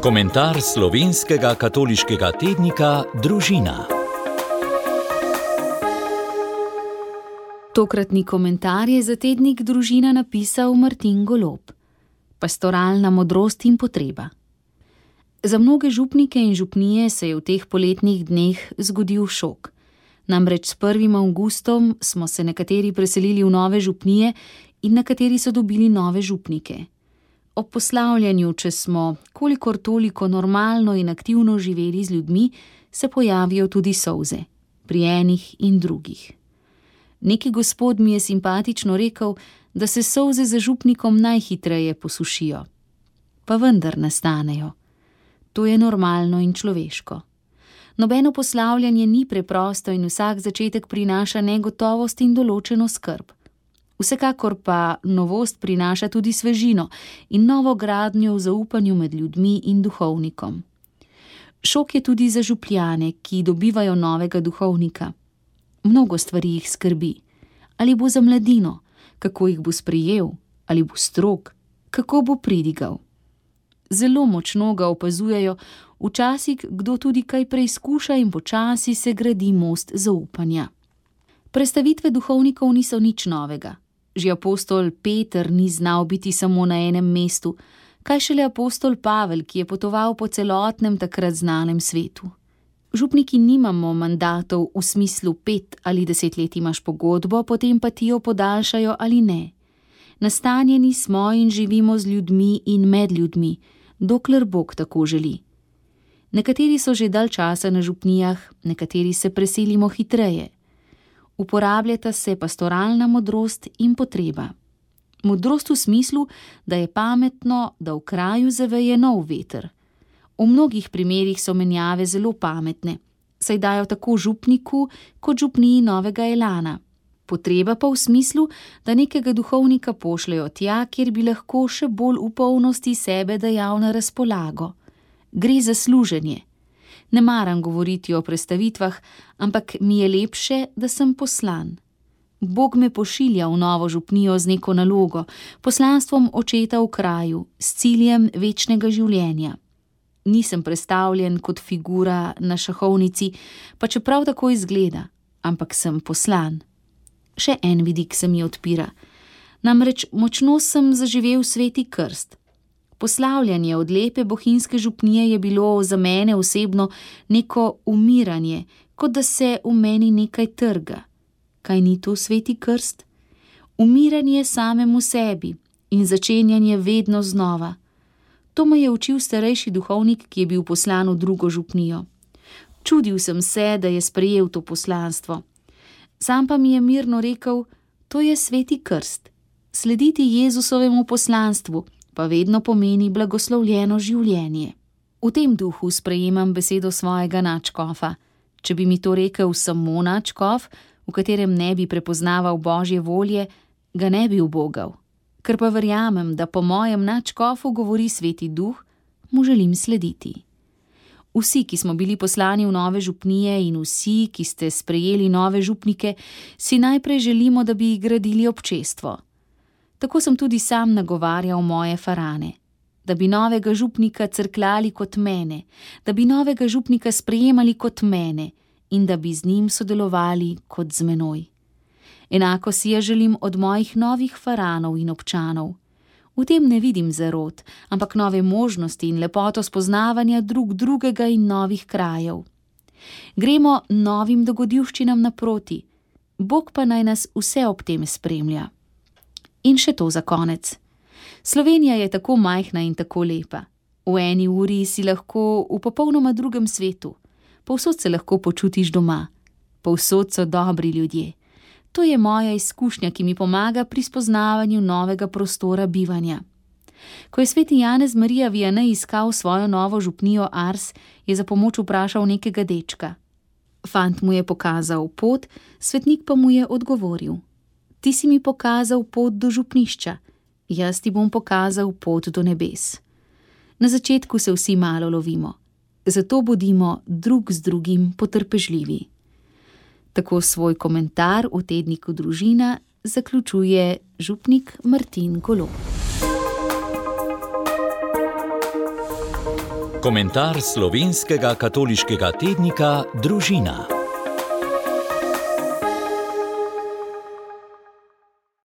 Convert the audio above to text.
Komentar slovenskega katoliškega tednika Družina. Tokratni komentar je za tednik Družina napisal Martin Golob. Pastoralna modrost in potreba. Za mnoge župnike in župnije se je v teh poletnih dneh zgodil šok. Namreč s 1. avgustom smo se nekateri preselili v nove župnije in nekateri so dobili nove župnike. Ob poslavljanju, če smo kolikor toliko normalno in aktivno živeli z ljudmi, se pojavijo tudi solze, pri enih in drugih. Neki gospod mi je simpatično rekel, da se solze za župnikom najhitreje posušijo. Pa vendar nastanejo. To je normalno in človeško. Nobeno poslavljanje ni preprosto in vsak začetek prinaša negotovost in določeno skrb. Vsekakor pa novost prinaša tudi svežino in novo gradnjo v zaupanju med ljudmi in duhovnikom. Šok je tudi za župljane, ki dobivajo novega duhovnika. Mnogo stvari jih skrbi. Ali bo za mladino, kako jih bo sprejel, ali bo strog, kako bo pridigal. Zelo močno ga opazujejo, včasih kdo tudi kaj preizkuša in počasi se gradi most zaupanja. Prestavitve duhovnikov niso nič novega. Že apostol Peter ni znal biti samo na enem mestu, kaj šele apostol Pavel, ki je potoval po celotnem takrat znanem svetu. Župniki nimamo mandatov v smislu 5 ali 10 let imaš pogodbo, potem pa ti jo podaljšajo ali ne. Nastanjeni smo in živimo z ljudmi in med ljudmi, dokler Bog tako želi. Nekateri so že dalj časa na župnijah, nekateri se preselimo hitreje. Uporabljata se pastoralna modrost in potreba. Modrost v smislu, da je pametno, da v kraju zaveje nov veter. V mnogih primerih so menjave zelo pametne, saj dajo tako župniku kot župniji novega elana. Potreba pa v smislu, da nekega duhovnika pošljajo tja, kjer bi lahko še bolj v polnosti sebe dajal na razpolago. Gre za služenje. Ne maram govoriti o prestavitvah, ampak mi je lepše, da sem poslan. Bog me pošilja v novo župnijo z neko nalogo, poslanstvom očeta v kraju, s ciljem večnega življenja. Nisem prestavljen kot figura na šahovnici, pa čeprav tako izgleda, ampak sem poslan. Še en vidik se mi odpira. Namreč močno sem zaživel sveti krst. Poslavljanje od lepe bohinjske župnije je bilo za mene osebno neko umiranje, kot da se v meni nekaj trga. Kaj ni to sveti krst? Umiranje samemu sebi in začenjanje vedno znova. To me je učil starejši duhovnik, ki je bil poslan v drugo župnijo. Čudil sem se, da je sprejel to poslanstvo. Sam pa mi je mirno rekel, to je sveti krst. Slediti Jezusovemu poslanstvu pa vedno pomeni blagoslovljeno življenje. V tem duhu sprejemam besedo svojega nadškofa. Če bi mi to rekel samo nadškof, v katerem ne bi prepoznaval Božje volje, ga ne bi ubogal. Ker pa verjamem, da po mojem nadškofu govori sveti duh, mu želim slediti. Vsi, ki smo bili poslani v nove župnije in vsi, ki ste sprejeli nove župnike, si najprej želimo, da bi gradili občestvo. Tako sem tudi sam nagovarjal moje farane, da bi novega župnika crkljali kot mene, da bi novega župnika sprejemali kot mene in da bi z njim sodelovali kot z menoj. Enako si ja želim od mojih novih faranov in občanov. V tem ne vidim zarot, ampak nove možnosti in lepoto spoznavanja drug drugega in novih krajev. Gremo novim dogodivščinam naproti, Bog pa naj nas vse ob tem spremlja. In še to za konec. Slovenija je tako majhna in tako lepa. V eni uri si lahko v popolnoma drugem svetu. Povsod se lahko počutiš doma. Povsod so dobri ljudje. To je moja izkušnja, ki mi pomaga pri spoznavanju novega prostora bivanja. Ko je sveti Janez Marija Vianney iskal svojo novo župnijo Ars, je za pomoč vprašal nekega dečka. Fant mu je pokazal pot, svetnik pa mu je odgovoril. Ti si mi pokazal pot do župnišča, jaz ti bom pokazal pot do nebes. Na začetku se vsi malo lovimo, zato bodimo drug z drugim potrpežljivi. Tako svoj komentar v tedniku Družina zaključuje župnik Martin Golob. Komentar slovenskega katoliškega tednika Družina.